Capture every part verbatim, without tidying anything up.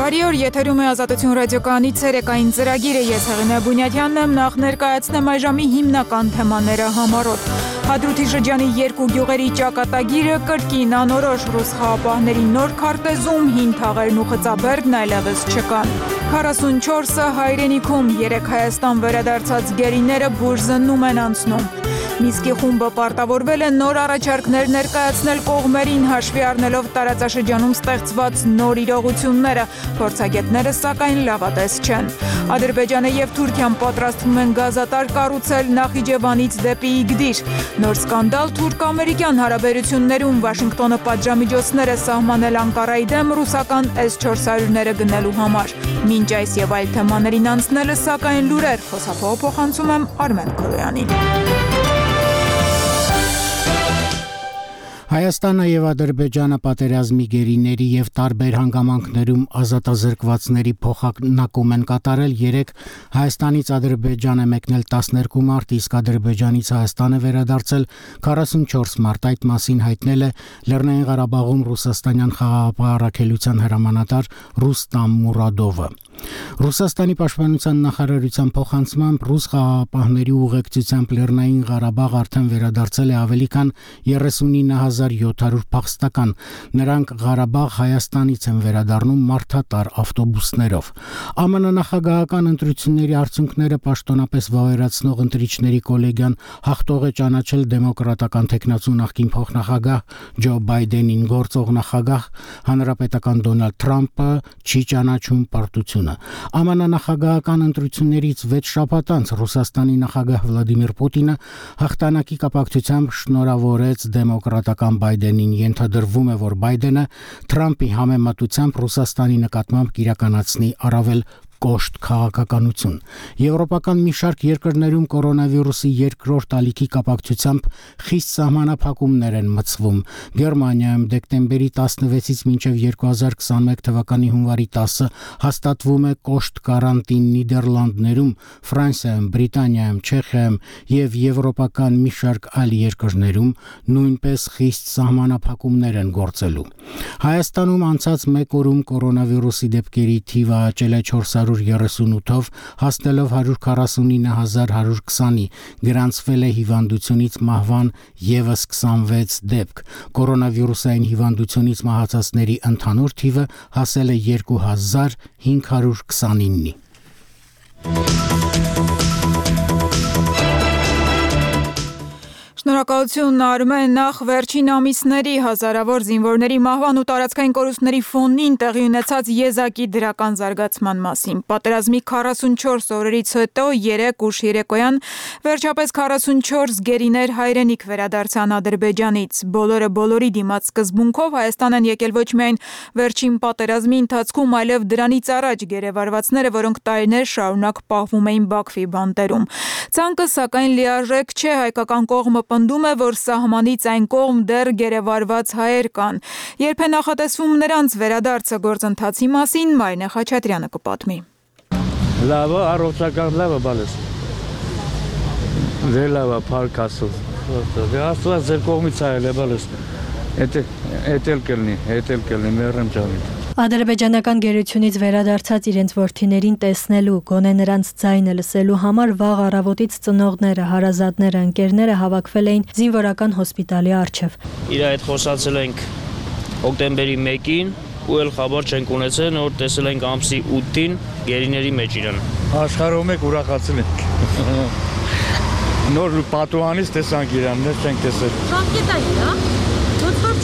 Բարի օր, եթերում է Ազատություն ռադիոկայանի ցերեկային ծրագիրը, ես Հեղինե Բունյաթյանն եմ, նախ ներկայացնեմ այժմի հիմնական թեմաները համառոտ։ Հադրութի շրջանի երկու գյուղերի ճակատագիրը կրկին անորոշ, ռուս խաղապահների նոր քարտեզում հին թաղերն ու խծաբերդն այլևս չկան։ քառասունչորսը հայրենիքում, երեք Հայաստան վերադարձած գերիները բուժզննում են անցնում։ Միսկի խումբը պարտավորվել է նոր առաջարկներ ներկայացնել կողմերին, հաշվի առնելով տարածաշրջանում ստեղծված նոր իրողությունները, փորձագետները սակայն լավատես չեն։ Ադրբեջանը եւ Թուրքիան պատրաստվում են գազատար կառուցել Նախիջևանից դեպի Իգդիր։ Նոր սկանդալ թուրք-ամերիկյան հարաբերություններում, Վաշինգտոնը պատժամիջոցներ է սահմանել Անկարայի դեմ ռուսական էս չորս հարյուրները գնելու համար։ Մինչ այս եւ այլ թեմաներին անցնելը սակայն լուրեր, խոսափողը փոխանցում եմ Արմեն Քոյանին։ Հայաստանը եւ Ադրբեջանը պատերազմի գերիների եւ տարբեր հանգամանքներում ազատազրկվածների փոխանակում են կատարել երեք Հայաստանից Ադրբեջան է մեկնել տասներկու մարտ, իսկ Ադրբեջանից Հայաստան է վերադարձել քառասունչորս մարտ, այդ մասին հայտնել է Լեռնային Ղարաբաղում ռուսաստանյան խաղաղապահ առաքելության հրամանատար Ռուստամ Մուրադովը։ Ռուսաստանի պաշտպանության նախարարության փոխանցմամբ ռուս խաղաղապահների ուղեկցությամբ Լեռնային Ղարաբաղ արդեն վերադարձել է ավելի քան երեսունինը հազար յոթ հարյուր փախստական, նրանք Ղարաբաղ Հայաստանից են վերադառնում մարդատար ավտոբուսներով։ ԱՄՆ նախագահական ընտրությունների արդյունքները պաշտոնապես վավերացնող ընտրիչների կոլեգիան հաղթող է ճանաչել դեմոկրատական թեկնածու նախկին փոխնախագահ Ջո Բայդենին, գործող նախագահ հանրապետական Դոնալդ Թրամփը չի ճանաչում պարտությունը։ ԱՄՆ նախագահական ընտրություններից վեց շաբաթ անց Ռուսաստանի նախագահ Վլադիմիր Պուտինը հաղթանակի կապակցությամբ շնորհավորեց դեմոկրատական Բայդենին, ենթադրվում է, որ Բայդենը Թրամփի համեմատությամբ Ռուսաստանի նկատմամբ կիրականացնի առավել կոշտ քաղաքականություն։ Եվրոպական մի շարք երկրներում կորոնավիրուսի երկրորդ ալիքի կապակցությամբ խիստ սահմանափակումներ են մտցվում։ Գերմանիայում դեկտեմբերի տասնվեցից մինչև երկու հազար քսաներկու թվականի հունվարի տասը հաստատվում է կոշտ կարանտին, Նիդերլանդներում, Ֆրանսիայում, Բրիտանիայում, Չեխիայում եւ եվրոպական մի շարք այլ երկրներում նույնպես խիստ սահմանափակումներ են գործելու։ Հայաստանում անցած մեկ օրում կորոնավիրուսի դեպքերի թիվը աճել է չորս հարյուր երեսունութով, հասնելով հարյուր քառասունինը հազար հարյուր քսանի, գրանցվել է հիվանդությունից մահվան ևս քսանվեց դեպք։ Կորոնավիրուսային հիվանդությունից մահացածների ընդհանուր թիվը հասել է երկու հազար հինգ հարյուր քսանինի։ Շնորհակալություն Արմեն, նախ վերջին ամիսների հազարավոր զինվորների մահվան ու տարածքային կորուստների ֆոնին տեղի ունեցած եզակի դրական զարգացման մասին։ Պատերազմի քառասունչորս օրերից հետո երեք ուշ երեկոյան վերջապես քառասունչորս գերիներ հայրենիք վերադարձան Ադրբեջանից։ Բոլորը բոլորի դիմաց սկզբունքով Հայաստան են եկել ոչ միայն վերջին պատերազմի ընթացքում, այլև դրանից առաջ գերեվարվածները, որոնք տարիներ շարունակ պահվում էին Բաքվի բանտերում։ Ցանկը սակայն լիարժեք չէ, հայկական կողմը պնդում է, որ սահմանից այն կողմ դեռ գերեվարված հայեր կան։ Երբ է նախատեսվում նրանց վերադարձը, գործընթացի մասին Մարինե Խաչատրյանը կպատմի։ Լավը, առողջական լավը բալես։ Դե լավը, փառք Աստծո։ Դե Աստծո ձեր կողմից այլ է բալես։ Էդ էլ կլինի, էդ էլ կլինի, մեռեմ ջանին։ Ադրբեջանական գերությունից վերադարձած իրենց որդիներին տեսնելու, գոնե նրանց ձայնը լսելու համար վաղ առավոտից ծնողները, հարազատները, ընկերները հավաքվել էին զինվորական հոսպիտալի առջև։ Իր հետ խոսացել ենք հոկտեմբերի մեկին ու էլ խաբար չենք ունեցել, որ տեսել ենք ամսի ութին գերիների մեջ իրան։ Աշխարհում եք ուրախացել ենք։ Նոր պատուհանից տեսանք իրան, դեռ չենք տեսել։ Ժամկետա իրա։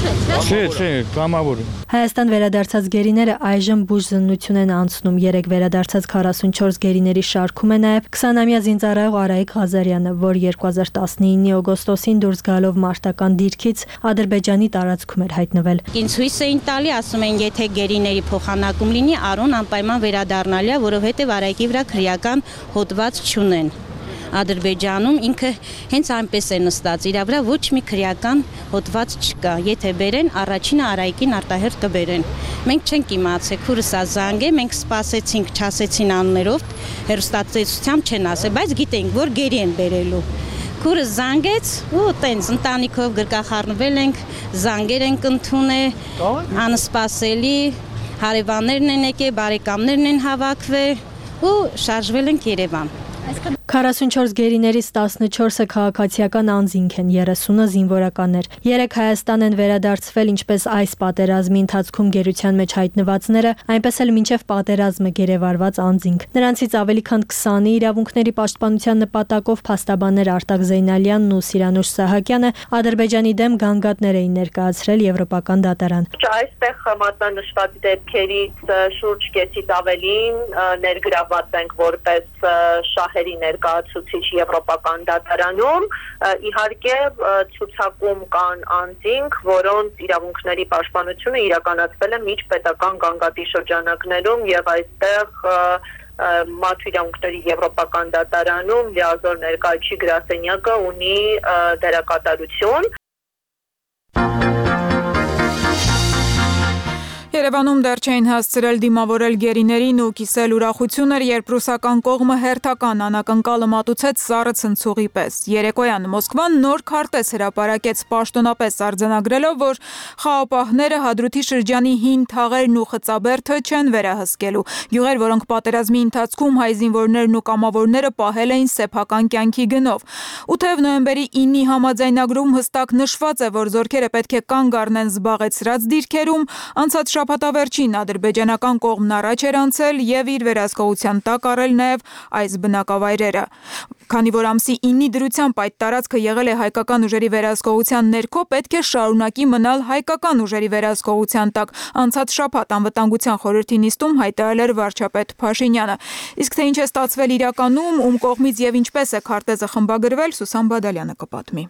Չէ, չէ, կամավոր։ Հայաստան վերադարձած գերիները այժմ բուժզննություն են անցնում։ Երեք վերադարձած քառասունչորս գերիների շարքում է նաև քսանամյա զինծառայող Արայիկ Ղազարյանը, որ երկու հազար տասնինի օգոստոսին դուրս գալով մարտական դիրքից Ադրբեջանի տարածքում էր հայտնվել։ Ինձ հույս էին տալի, ասում են, եթե գերիների փոխանակում լինի, Արոն անպայման վերադառնալի է, որովհետև Արայիկի վրա քրեական հոդված չունեն։ Ադրբեջանում ինքը հենց այնպես է նստած, իր վրա ոչ մի քրեական հոդված չկա։ Եթե բերեն, առաջինը Արայիկին արտահերթ կբերեն։ Մենք չենք իմացել, քուրս ա զանգ է, մենք սպասեցինք, չասեցին անուններով, հեռուստատեսությամբ չեն ասել, բայց գիտենք, որ գերի են բերելու։ Քուրը զանգեց ու տենց ընտանիքով գրկախառնվել ենք, զանգեր ենք ընդունել, անսպասելի Հարևաններն են եկել, բարեկամներն են հավաքվել ու շարժվել ենք Երևան։ քառասունչորս գերիներից տասնչորսը քաղաքացիական անձինք են, երեսունը զինվորականներ։ Երեք Հայաստան են վերադարձվել ինչպես այս պատերազմի ընթացքում գերության մեջ հայտնվածները, այնպես էլ մինչև պատերազմը գերեվարված անձինք։ Նրանցից ավելի քան քսանի իրավունքների պաշտպանության նպատակով փաստաբաններ Արտակ Զեյնալյանն ու Սիրանուշ Սահակյանը Ադրբեջանի դեմ գանգատներ էին ներկայացրել Եվրոպական դատարան։ Այստեղ մատնանշված դեպքերից շուրջ կեսից ավելին ներգրավված ենք որպես շահերի ներկայացուցիչ Եվրոպական դատարանում, իհարկե ցուցակում կան անձինք, որոնց իրավունքների պաշտպանությունը իրականացվել է միջպետական գանգատի շրջանակներում եւ այստեղ Մարդու իրավունքների Եվրոպական դատարանում լիազոր ներկայացուցիչ գրասենյակը ունի դերակատարություն։ Երևանում դեռ չէին հասցրել դիմավորել գերիներին ու կիսել ուրախություն էր, երբ ռուսական կողմը հերթական անակնկալը մատուցեց սառը ցնցուղի պես։ Երեկոյան Մոսկվան նոր քարտեզ հրապարակեց պաշտոնապես արձանագրելով, որ խաղապահները Հադրութի շրջանի հին թաղերն ու խծաբերդը չեն վերահսկելու։ Գյուղեր, որոնք պատերազմի ընթացքում հայ զինվորներն ու կամավորները պահել էին սեփական կյանքի գնով։ Ութ նոյեմբերի ինի համաձայնագրում հստակ նշված է, որ զորքերը պետք է կանգ առնեն զբաղեցրած դիրքերում, անցած շաբաթավերջին ադրբեջանական կողմն առաջ էր անցել եւ իր վերահսկողության տակ առել նաեւ այս բնակավայրերը։ Քանի որ ամսի ինի դրությամբ այդ տարածքը եղել է հայկական ուժերի վերահսկողության ներքո, պետք է շարունակի մնալ հայկական ուժերի վերահսկողության տակ, անցած շաբաթ անվտանգության խորհրդի նիստում հայտարարել էր վարչապետ Փաշինյանը։ Իսկ թե ինչ է ստացվել իրականում, ում կողմից եւ ինչպես է քարտեզը խմբագրվել, Սուսան Բադալյանը կպատմի։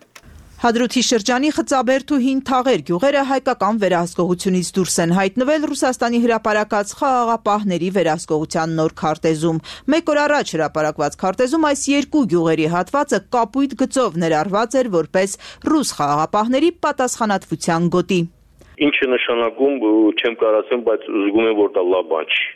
Հադրութի շրջանի խծաբերդ ու հին թաղեր գյուղերը հայկական վերահսկողությունից դուրս են հայտնվել Ռուսաստանի հրապարակած խաղաղապահների վերահսկողության նոր քարտեզում։ Մեկ օր առաջ հրապարակված քարտեզում այս երկու գյուղերի հատվածը կապույտ գծով ներառված էր որպես ռուս խաղաղապահների պատասխանատվության գոտի։ Ինչը նշանակում չեմ կարող ասեմ, բայց զգում եմ, որ դա լավ բան չի։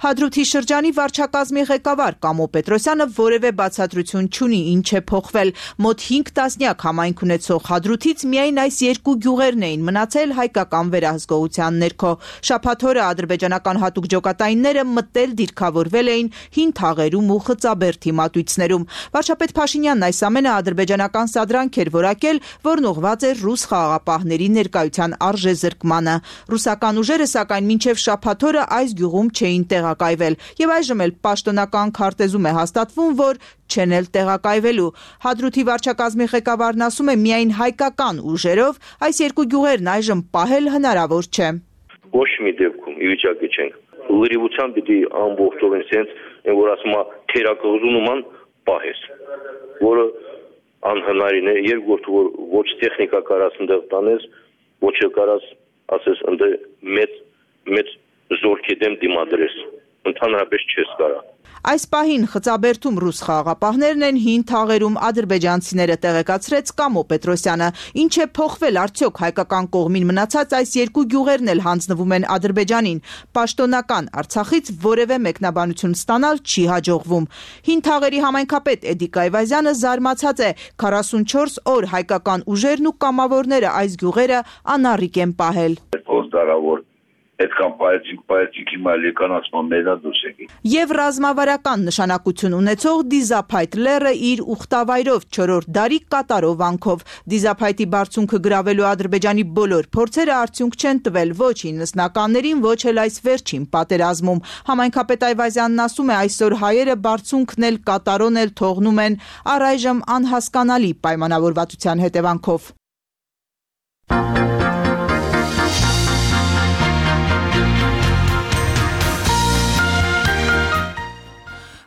Հադրութի շրջանի վարչակազմի ղեկավար Կամո Պետրոսյանը որևէ բացատրություն չունի ինչ է փոխվել։ Մոտ հինգ տասնյակ համայնք ունեցող Հադրութից միայն այս երկու գյուղերն էին մնացել հայկական վերահսկողության ներքո։ Շաբաթ օրը ադրբեջանական հատուկ ջոկատայինները մտել դիրքավորվել էին հին թաղերում ու խծաբերդի մատույցներում։ Վարչապետ Փաշինյանն այս ամենը ադրբեջանական սադրանք էր որակել, որն ուղղված էր ռուս խաղաղապահների ներկայության արժեզրկմանը։ Ռուսական ուժերը սակայն մինչև շաբաթ օրը այս գյուղում չէին տեղակայվել եւ այժմ էլ պաշտոնական քարտեզում է հաստատվում, որ չեն էլ տեղակայվելու։ Հադրութի վարչակազմի ղեկավարն ասում է, միայն հայկական ուժերով այս երկու գյուղերն այժմ պահել հնարավոր չէ։ Ոչ մի դեպքում ի վիճակի չենք։ Լրիվությամբ պիտի ամբողջովին sense, որ ասում է թերակղզու նման պահես, որը անհնարին է, երկրորդ որ ոչ տեխնիկա կարաս ընդեղ տանես, ոչ կարաս ասես ընդ մեծ մեծ զորքի դեմ դիմադրես, ընդհանրապես չես կարա։ Այս պահին խծաբերդում ռուս խաղաղապահներն են, հին թաղերում ադրբեջանցիները, տեղեկացրեց Կամո Պետրոսյանը։ Ինչ է փոխվել արդյոք հայկական կողմին մնացած այս երկու գյուղերն էլ հանձնվում են Ադրբեջանին։ Պաշտոնական Արցախից որևէ մեկնաբանություն ստանալ չի հաջողվում։ Հին թաղերի համայնքապետ Էդիկ Այվազյանը զարմացած է, քառասունչորս օր հայկական ուժերն ու կամավորները այս գյուղերը անառիկ են պահել։ Այդքան պայեցիկ պայեցիկ հիմա լեկանացման մենա դուրս եկի։ Եվ ռազմավարական նշանակություն ունեցող Դիզափայտ լեռը իր ուխտավայրով չորրորդ դարի կատարովանքով։ Դիզափայտի բարձունքը գրավելու Ադրբեջանի բոլոր փորձերը արդյունք չեն տվել ոչ իննսնականներին, ոչ էլ այս վերջին պատերազմում։ Համայնքապետ Այվազյանն ասում է, այսօր հայերը բարձունքն էլ կատարոն էլ թողնում են առայժմ անհասկանալի պայմանավորվածության հետևանքով։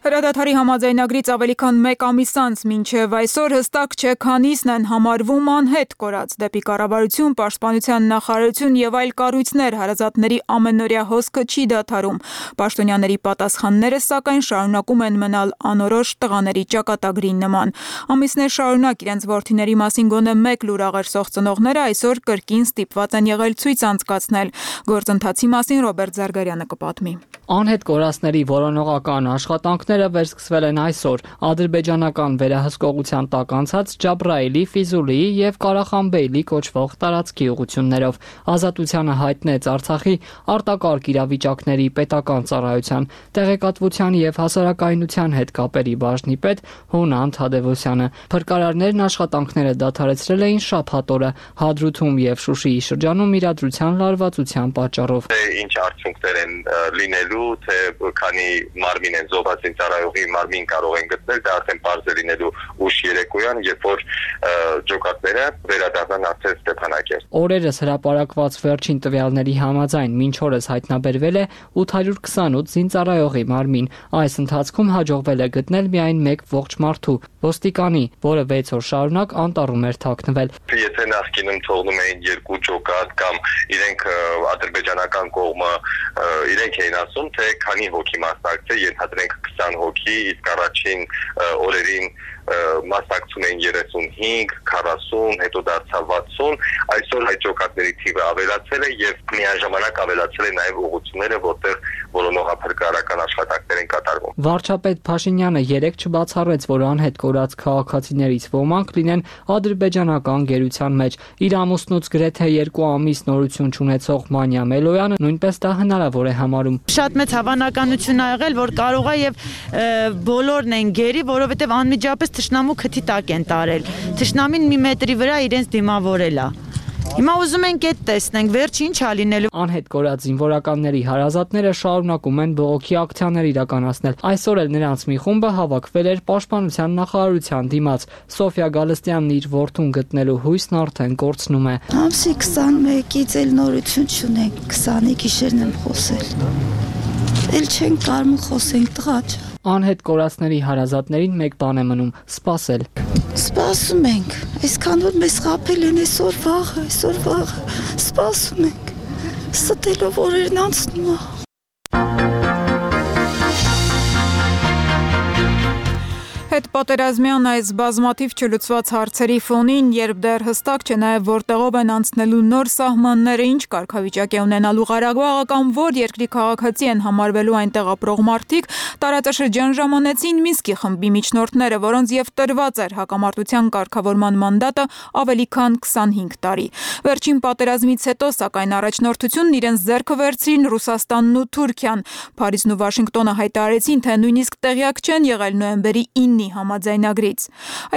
Հրադադարի համաձայնագրից ավելի քան մեկ ամիս անց մինչև այսօր հստակ չէ քանիսն են համարվում անհետ կորած։ Դեպի կառավարություն, պաշտպանության նախարարություն եւ այլ կառույցներ հարազատների ամենօրյա հոսքը չի դադարում։ Պաշտոնյաների պատասխանները սակայն շարունակում են մնալ անորոշ տղաների ճակատագրի նման։ Ամիսներ շարունակ իրենց որդիների մասին գոնե մեկ լուր աղերսող ծնողները այսօր կրկին ստիպված են եղել ցույց անցկացնել։ Գործընթացի մասին Ռոբերտ Զարգարյանը կպատմի։ Անհետ կորածների որոնողական աշխատանքները գործողությունները վերսկսվել են այսօր ադրբեջանական վերահսկողության տակ անցած Ջաբրայելի, Ֆիզուլիի եւ Կարախանբեյլի կոչվող տարածքի ուղղություններով։ Ազատությանը հայտնեց Արցախի արտակարգ իրավիճակների պետական ծառայության տեղեկատվության եւ հասարակայնության հետ կապերի բաժնի պետ Հունան Թադևոսյանը։ Փրկարարներն աշխատանքները դադարեցրել էին շաբաթ օրը Հադրութում եւ Շուշիի շրջանում իրադրության լարվածության պատճառով։ Ինչ արդյունքներ են լինելու, թե քանի մարմին են զոհված ծառայողի մարմին կարող են գտնել, դա արդեն բարձր լինելու ուշ երեկոյան, երբ որ ջոկատները վերադառնան արդեն Ստեփանակերտ։ Օրերս հրապարակված վերջին տվյալների համաձայն մինչ օրս հայտնաբերվել է ութ հարյուր քսանութ զինծառայողի մարմին։ Այս ընթացքում հաջողվել է գտնել միայն մեկ ողջ մարդու՝ ոստիկանի, որը վեց օր շարունակ անտառում էր թաքնվել։ Եթե նախկինում թողնում էին երկու ջոկատ կամ իրենք ադրբեջանական կողմը իրենք էին ասում, թե քանի հոգի մասնակցել, ենթադրենք քսան հոգի, իսկ առաջին օրերին մասնակցում էին երեսունհինգ, քառասուն, հետո դարձավ վաթսուն, այսօր այդ ջոկատների թիվը ավելացել է եւ միաժամանակ ավելացել է նաեւ ուղղությունները, որտեղ որոնողափրկարարական աշխատանքներ են կատարվում։ Վարչապետ Փաշինյանը երեկ չբացառեց, որ անհետ կորած քաղաքացիներից ոմանք լինեն ադրբեջանական գերության մեջ։ Իր ամուսնուց գրեթե երկու ամիս նորություն չունեցող Մանյա Մելոյանը նույնպես դա հնարավոր է համարում։ Շատ մեծ հավանականություն ա եղել, որ կարող է եւ բոլորն են գերի, որովհետեւ անմիջապես թշնամու քթի տակ են տարել։ Թշնամին մի մետրի վրա իրենց դիմավորել է։ Հիմա ուզում ենք այդ տեսնենք, վերջ ինչ ա լինելու։ Անհետ կորած զինվորականների հարազատները շարունակում են բողոքի ակցիաներ իրականացնել։ Այսօր էլ նրանց մի խումբը հավաքվել էր Պաշտպանության նախարարության դիմաց։ Սոֆիա Գալստյանն իր որդուն գտնելու հույսն արդեն կորցնում է։ Ամսի քսանմեկից էլ նորություն չունենք, քսանի գիշերն եմ խոսել։ Էլ չենք կարում խոսենք, տղա։ Անհետ կորածների հարազատներին մեկ բան է մնում՝ սպասել։ Սպասում ենք, այսքան որ մեզ խաբել են այսօր վաղը, այսօր վաղը, սպասում ենք, ստելով օրերն անցնում է։ Հետպատերազմյան այս բազմաթիվ չլուծված հարցերի ֆոնին, երբ դեռ հստակ չէ նաև որտեղով են անցնելու նոր սահմանները, ինչ կարգավիճակ է ունենալու Ղարաբաղը կամ որ երկրի քաղաքացի են համարվելու այնտեղ ապրող մարդիկ, տարածաշրջան ժամանեցին Մինսկի խմբի միջնորդները, որոնց եւ տրված էր հակամարտության կարգավորման մանդատը ավելի քան քսանհինգ տարի։ Վերջին պատերազմից հետո, սակայն առաջնորդությունն իրենց ձեռքը վերցրին Ռուսաստանն ու Թուրքիան։ Փարիզն ու Վաշինգտոնը հայտարարեցին, թե նույնիսկ տեղյակ չեն եղել նոյեմբերի ինը համաձայնագրից։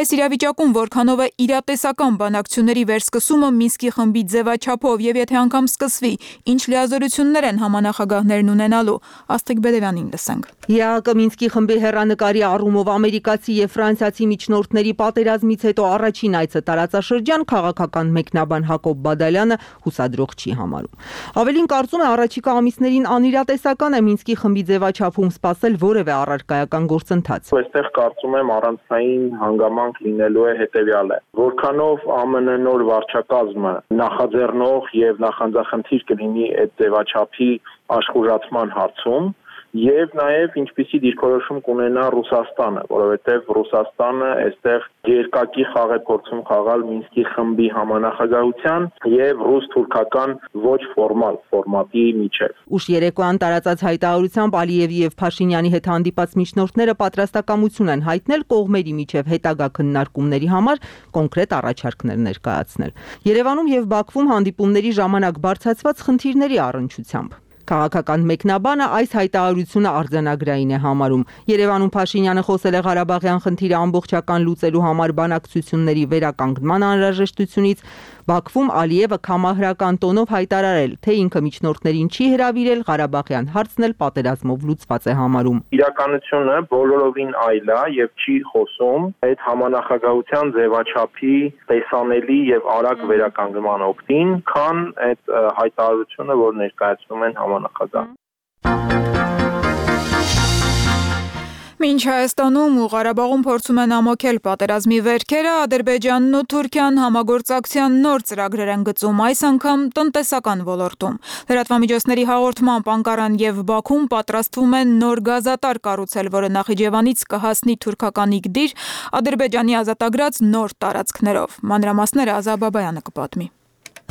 Այս իրավիճակում որքանով է իրատեսական բանակցությունների վերսկսումը Մինսկի խմբի ձևաչափով եւ եթե անգամ սկսվի, ինչ լիազորություններ են համանախագահներն ունենալու, Աստղիկ Բեդևյանին լսենք։ ԵԱՀԿ Մինսկի խմբի հեռանկարի առումով ամերիկացի եւ ֆրանսիացի միջնորդների պատերազմից հետո առաջին այցը տարածաշրջան քաղաքական մեկնաբան Հակոբ Բադալյանը հուսադրող չի համարում։ Ավելին կարծում է առաջիկա ամիսներին անիրատեսական է Մինսկի խմբի ձևաչափում սպասել որևէ առարկայական գործընթաց։ Այստեղ կարծում եմ առանցային հանգամանք լինելու է հետևյալը։ Որքանով ԱՄՆ նոր վարչակազմը նախաձեռնող եւ նախանձախնդիր կլինի այդ ձևաչափի աշխուժացման հարցում, եւ նաեւ ինչպիսի դիրքորոշում կունենա Ռուսաստանը, որովհետեւ Ռուսաստանը այստեղ երկակի խաղ է փորձում խաղալ Մինսկի խմբի համանախագահության եւ ռուս-թուրքական ոչ ֆորմալ ֆորմատի միջեւ։ Ուշ երեկոյան տարածած հայտարարությամբ Ալիևի եւ Փաշինյանի հետ հանդիպած միջնորդները պատրաստակամություն են հայտնել կողմերի միջեւ հետագա քննարկումների համար կոնկրետ առաջարկներ ներկայացնել։ Երևանում եւ Բաքվում հանդիպումների ժամանակ բարձրացված խնդիրների առնչությամբ Քաղաքական մեկնաբանը այս հայտարարությունը արձանագրային է համարում։ Երևանում Փաշինյանը խոսել է Ղարաբաղյան խնդիրը ամբողջական լուծելու համար բանակցությունների վերականգնման անհրաժեշտությունից, Բաքվում Ալիևը կամահրական տոնով հայտարարել, թե ինքը միջնորդներին չի հրավիրել, Ղարաբաղյան հարցն էլ պատերազմով լուծված է համարում։ Իրականությունը բոլորովին այլ է եւ չի խոսում այդ համանախագահության ձևաչափի տեսանելի եւ արագ վերականգնման օգտին, քան այդ հայտարարությունը, որ ներկայացնում են համանախագահ։ Մինչ Հայաստանում ու Ղարաբաղում փորձում են ամոքել պատերազմի վերքերը, Ադրբեջանն ու Թուրքիան համագործակցության նոր ծրագրեր են գծում, այս անգամ տնտեսական ոլորտում։ Լրատվամիջոցների հաղորդմամբ Անկարան եւ Բաքուն պատրաստվում են նոր գազատար կառուցել, որը Նախիջևանից կհասնի թուրքական Իգդիր, Ադրբեջանի ազատագրած նոր տարածքներով։ Մանրամասները Ազա Բաբայանը կպատմի։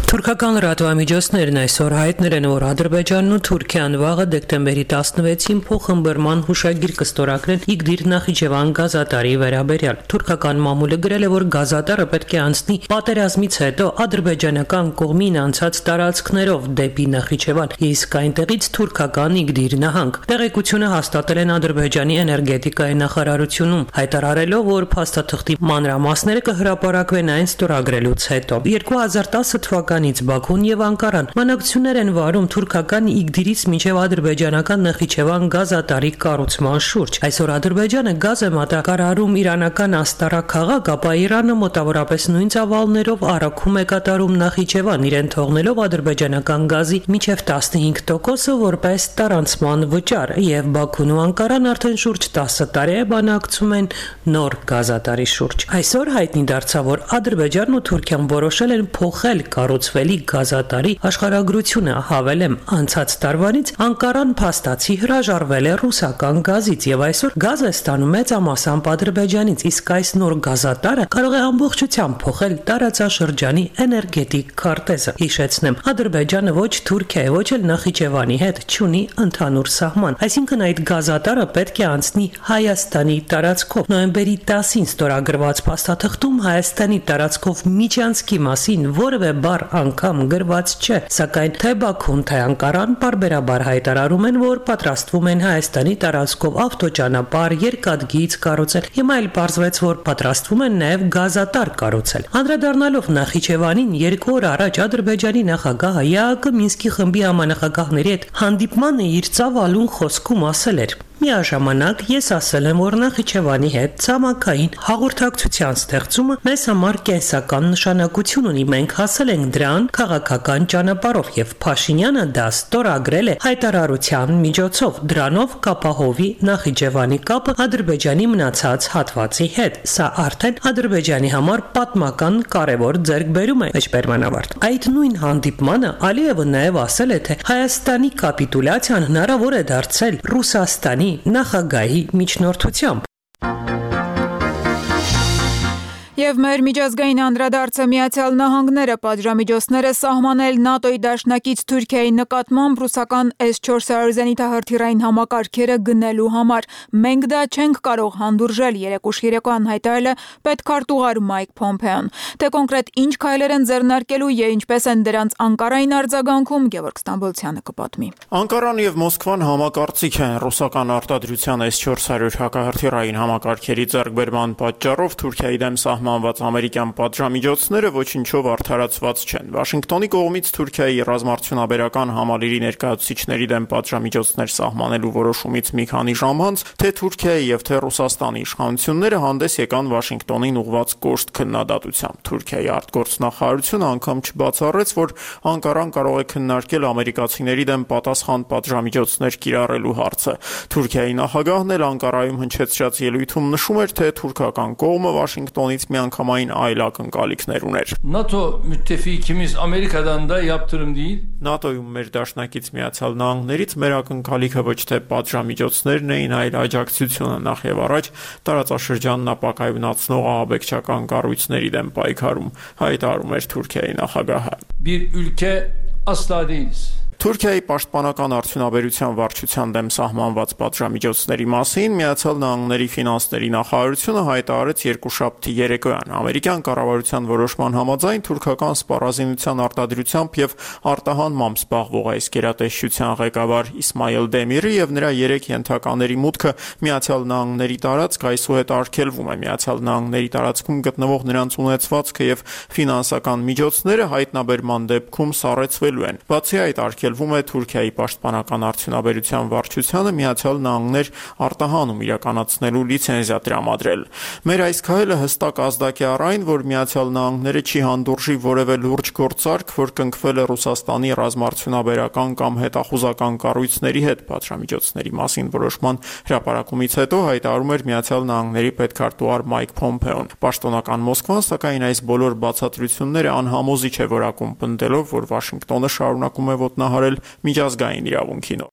Թուրքական լրատվամիջոցներն այսօր հայտնել են, որ Ադրբեջանն ու Թուրքիան վաղը դեկտեմբերի տասնվեցին փոխըմբռնման հուշագիր կստորագրեն Իգդիր Նախիջևան գազատարի վերաբերյալ։ Թուրքական մամուլը գրել է, որ գազատարը պետք է անցնի պատերազմից հետո ադրբեջանական կողմին անցած տարածքներով դեպի Նախիջևան, իսկ այնտեղից թուրքական Իգդիր նահանգ։ Տեղեկությունը հաստատել են Ադրբեջանի էներգետիկայի նախարարությունում, հայտարարելով, որ փաստաթղթի մանրամասները կհրապարակվեն այն ստորագրելուց հետո։ երկու հազար տասը թվականին Բաքուն եւ Անկարան մանակցություններ են վարում թուրքական Իգդիրից մինչեւ ադրբեջանական Նախիջևան գազատարի կառուցման շուրջ։ Այսօր Ադրբեջանը գազ է մատակարարում իրանական Աստարա քաղաք, ապա Իրանը մոտավորապես նույն ծավալներով առաքում է կատարում Նախիջևան, իրեն թողնելով ադրբեջանական գազի մինչեւ տասնհինգ տոկոսը որպես տարանցման վճար, եւ Բաքուն ու Անկարան արդեն շուրջ տասը տարի է բանակցում են նոր գազատարի շուրջ։ Այսօր հայտնի դարձավ, որ Ադրբեջանն ու Թուրքիան որոշել են փոխել կառուցվելի գազատարի աշխարհագրությունը, հավելեմ, անցած տարվանից Անկարան փաստացի հրաժարվել է ռուսական գազից եւ այսօր գազ է ստանում մեծամասամբ Ադրբեջանից, իսկ այս նոր գազատարը կարող է ամբողջությամբ փոխել տարածաշրջանի էներգետիկ քարտեզը։ Հիշեցնեմ, Ադրբեջանը ոչ Թուրքիայի, ոչ էլ Նախիջևանի հետ չունի ընդհանուր սահման, այսինքն այդ գազատարը պետք է անցնի Հայաստանի տարածքով։ Նոյեմբերի տասին ստորագրված փաստաթղթում Հայաստանի տարածքով միջանցքի մասին որևէ բառ անգամ գրված չէ, սակայն թե Բաքուն, թե Անկարան պարբերաբար հայտարարում են, որ պատրաստվում են Հայաստանի տարածքով ավտոճանապարհ, երկաթգիծ կառուցել։ Հիմա էլ պարզվեց, որ պատրաստվում են նաև գազատար կառուցել։ Անդրադառնալով Նախիջևանին, երկու օր առաջ Ադրբեջանի նախագահը ԵԱՀԿ Մինսկի խմբի համանախագահների հետ հանդիպմանը իր ծավալուն խոսքում ասել էր. Միաժամանակ ես ասել եմ, որ Նախիջևանի հետ ցամաքային հաղորդակցության ստեղծումը մեզ համար կենսական նշանակություն ունի։ Մենք հասել ենք դրան քաղաքական ճանապարհով եւ Փաշինյանը դա ստորագրել է հայտարարության միջոցով։ Դրանով կապահովի Նախիջևանի կապը Ադրբեջանի մնացած հատվածի հետ։ Սա արդեն Ադրբեջանի համար պատմական կարևոր ձեռքբերում է, մեջբերմանավարտ։ Այդ նույն հանդիպմանը Ալիևը նաեւ ասել է, թե Հայաստանի կապիտուլյացիան հնարավոր է դարձել Ռուսաստանի նախագահի միջնորդությամբ։ Եվ մեր միջազգային անդրադարձը Միացյալ Նահանգները պատժամիջոցները սահմանել ՆԱՏՕ-ի դաշնակից Թուրքիայի նկատմամբ ռուսական էս չորս հարյուր զենիթահրթիռային համակարգերը գնելու համար։ Մենք դա չենք կարող հանդուրժել, երեկուշ երեկոյան հայտարարել է պետքարտուղար Մայք Փոմփեոն։ Թե կոնկրետ ինչ քայլեր են ձեռնարկելու եւ ինչպես են դրանց Անկարային արձագանքում, Գևորգ Ստամբոլցյանը կպատմի։ Անկարան եւ Մոսկվան համակարծիք են ռուսական արտադրության էս չորս հարյուր հակահրթիռային համակարգերի ձեռքբերման պատճառով Թուրքիայի դեմ սահման մանված ամերիկյան պատժամիջոցները ոչինչով արդարացված չեն։ Վաշինգտոնի կողմից Թուրքիայի ռազմարդյունաբերական համալիրի ներկայացուցիչների դեմ պատժամիջոցներ սահմանելու որոշումից մի քանի ժամ անց, թե Թուրքիայի եւ թե Ռուսաստանի իշխանությունները հանդես եկան Վաշինգտոնին ուղղված կոշտ քննադատությամբ։ Թուրքիայի արտգործնախարարությունը անգամ չբացառեց, որ Անկարան կարող է քննարկել ամերիկացիների դեմ պատասխան պատժամիջոցներ կիրառելու հարցը։ Թուրքիայի նախագահն էլ Անկարայում հնչեցրած ելույթում նշում էր, թե թուրքական կողմը Վաշինգտոնից միանգամայն այլ ակնկալիքներ ուներ։ NATO müttefikimiz Amerika'dan da yaptırım değil. ՆԱՏՕ-ում մեր դաշնակից Միացյալ Նահանգներից մեր ակնկալիքը ոչ թե պատժամիջոցներն էին, այլ աջակցությունը նախ եւ առաջ տարածաշրջանն ապակայունացնող ահաբեկչական կառույցների դեմ պայքարում, հայտարարում էր Թուրքիայի նախագահը։ Bir ülke asla değiliz. Թուրքիայի պաշտպանական արդյունաբերության վարչության դեմ սահմանված պատժամիջոցների մասին Միացյալ Նահանգների ֆինանսների նախարարությունը հայտարարեց երկուշաբթի երեկոյան։ Ամերիկյան կառավարության որոշման համաձայն թուրքական սպառազինության արտադրությամբ եւ արտահանմամբ զբաղվող այս գերատեսչության ղեկավար Իսմայել Դեմիրը եւ նրա երեք ենթակաների մուտքը Միացյալ Նահանգների տարածք այսուհետ արգելվում է։ Միացյալ Նահանգների տարածքում գտնվող նրանց ունեցվածքը եւ ֆինանսական միջոցները հայտնաբերման դեպքում սառեցվելու են։ Բացի այդ, արգելվում է Թուրքիայի պաշտպանական արդյունաբերության վարչությանը Միացյալ Նահանգներ արտահանում իրականացնելու լիցենզիա տրամադրել։ Մեր այս քայլը հստակ ազդակ է առ այն, որ Միացյալ Նահանգները չի հանդուրժի որևէ լուրջ գործարք, որ կնքվել է Ռուսաստանի ռազմարդյունաբերական կամ հետախուզական կառույցների հետ պատժամիջոցների մասին որոշման հրապարակումից հետո հայտարարում էր Միացյալ Նահանգների պետքարտուղար Մայք Փոմփեոն։ Պաշտոնական Մոսկվան, սակայն, այս բոլոր բացատրությունները անհամոզիչ է որակում, պնդելով, որ Վաշինգտոնը շարունակում է ոտնահարել միջազգային իրավունքին։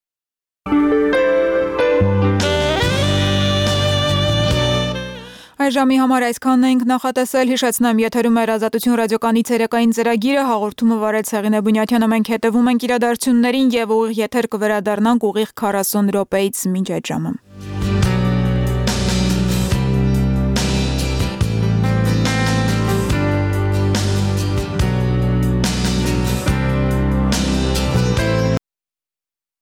Այժմի համար այսքանն ենք նախատեսել, հիշեցնեմ, եթերում էր Ազատություն ռադիոկայանի ցերեկային ծրագիրը, հաղորդումը վարեց Հեղինե Բունյաթյանը, մենք հետևում ենք իրադարձություններին եւ ուղիղ եթեր կվերադառնանք ուղիղ քառասուն րոպեից մինչ այդ ժամը։